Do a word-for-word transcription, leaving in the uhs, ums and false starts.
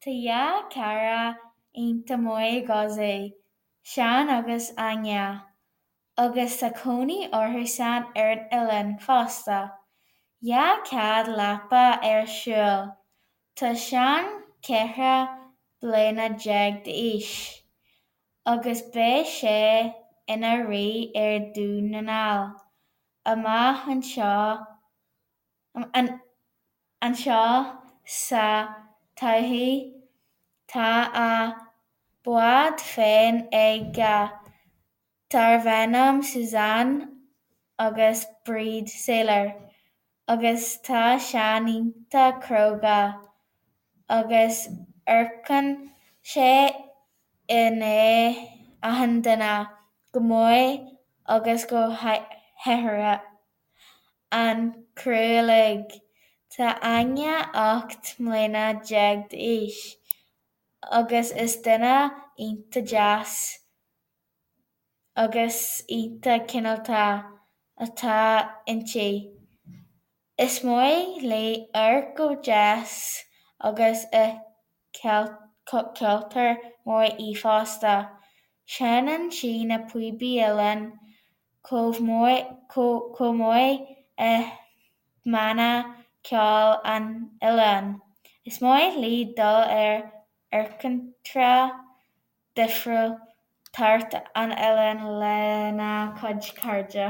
Tá dhá chara iontach maith ag Ozzy, Seán agus Áine, agus tá cónaí orthusan ar an oileán fosta. Dhá chead leapa ar siúl. Tá Seán ceithre bliana déag d'aois agus beidh sé ina rí ar Dhún na nGall amach anseo sa todhchaí. Tá a bhád féin aige darb ainm Suzanne agus Bríd Sailor agus tá Seán iontach cróga agus amharcann sé i ndiaidh achan duine, go maith agus go háirithe an criú uilig. Tá Áine ocht mbliana déag d'aois agus is duine iontach deas agus iontach cineálta atá inti. Is maith léi amharc go deas agus is ceoltóir maith í fosta. Seinneann sí na píobaí uilleann chomh maith i mbanna ceoil an oileáin. Is maith léi dul ar airgeantra difriúil thart an oileán lena cuid cairde.